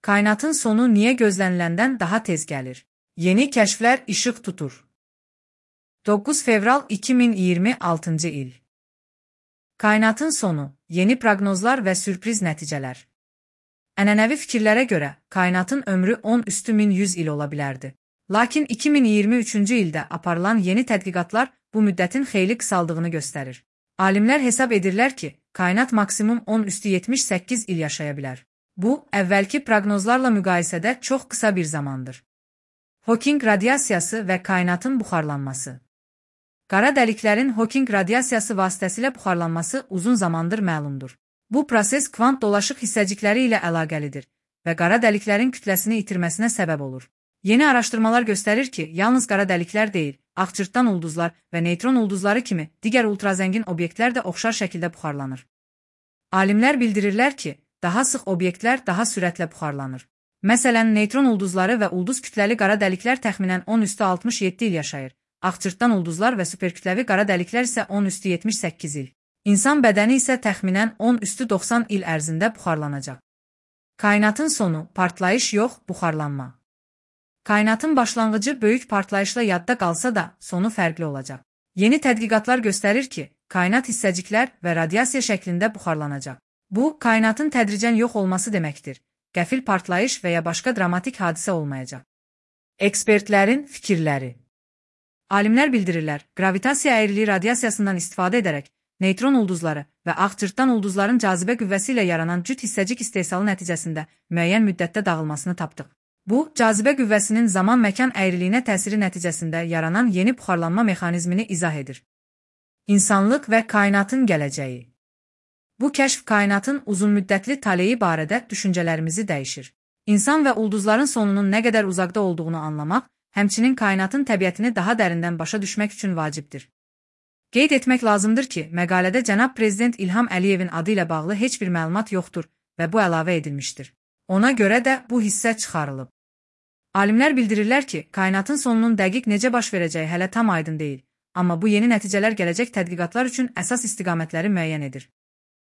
Kainatın sonu niye gözleniləndən daha tez gəlir? Yeni kəşflər işıq tutur. 9 fevral 2026 il. Kainatın sonu, yeni proqnozlar və sürpriz nəticələr. Ənənəvi fikirlərə görə, kainatın ömrü 10^1100 il ola bilərdi. Lakin 2023-cü ildə aparılan yeni tədqiqatlar bu müddətin xeyli qısaldığını göstərir. Alimlər hesab edirlər ki, kainat maksimum 10^78 il yaşaya bilər. Bu, əvvəlki proqnozlarla müqayisədə çox qısa bir zamandır. Hawking radiasiyası və kainatın buxarlanması. Qara dəliklərin Hawking radiasiyası vasitəsilə buxarlanması uzun zamandır məlumdur. Bu proses kvant dolaşıq hissəcikləri ilə əlaqəlidir və qara dəliklərin kütləsini itirməsinə səbəb olur. Yeni araşdırmalar göstərir ki, yalnız qara dəliklər deyil, ağcırtdan ulduzlar və neytron ulduzları kimi digər ultrazəngin obyektlər də oxşar şəkildə buxarlanır. Alimlər bildirirlər ki, daha sıx obyektlər daha sürətlə buxarlanır. Məsələn, neytron ulduzları və ulduz kütləli qara dəliklər təxminən 10^67 il yaşayır. Ağcırtdan ulduzlar və superkütləvi qara dəliklər isə 10^78 il. İnsan bədəni isə təxminən 10^90 il ərzində buxarlanacaq. Kainatın sonu, partlayış yox, buxarlanma. Kainatın başlanğıcı böyük partlayışla yadda qalsa da, sonu fərqli olacaq. Yeni tədqiqatlar göstərir ki, kainat hissəciklər və radiasiya şəklində buxarlanacaq. Bu, kainatın tədricən yox olması deməkdir. Qəfil partlayış və ya başqa dramatik hadisə olmayacaq. Ekspertlərin fikirləri. Alimlər bildirirlər, gravitasiya əyriliyi radiasiyasından istifadə edərək, neytron ulduzları və ağcırtdan ulduzların cazibə qüvvəsi ilə yaranan cüt hissəcik istehsalı nəticəsində müəyyən müddətdə dağılmasını tapdıq. Bu, cazibə qüvvəsinin zaman-məkan əyriliyinə təsiri nəticəsində yaranan yeni buxarlanma mexanizmini izah edir. İnsanlıq və kainatın gələcəyi. Bu kəşf kainatın uzunmüddətli taleyi barədə düşüncələrimizi dəyişir. İnsan və ulduzların sonunun nə qədər uzaqda olduğunu anlamaq, həmçinin kainatın təbiətini daha dərindən başa düşmək üçün vacibdir. Qeyd etmək lazımdır ki, məqalədə cənab Prezident İlham Əliyevin adı ilə bağlı heç bir məlumat yoxdur və bu əlavə edilmişdir. Ona görə də bu hissə çıxarılıb. Alimlər bildirirlər ki, kainatın sonunun dəqiq necə baş verəcəyi hələ tam aydın deyil, amma bu yeni nəticələr gələcək tədqiqatlar üçün əsas istiqamətləri müəyyən edir.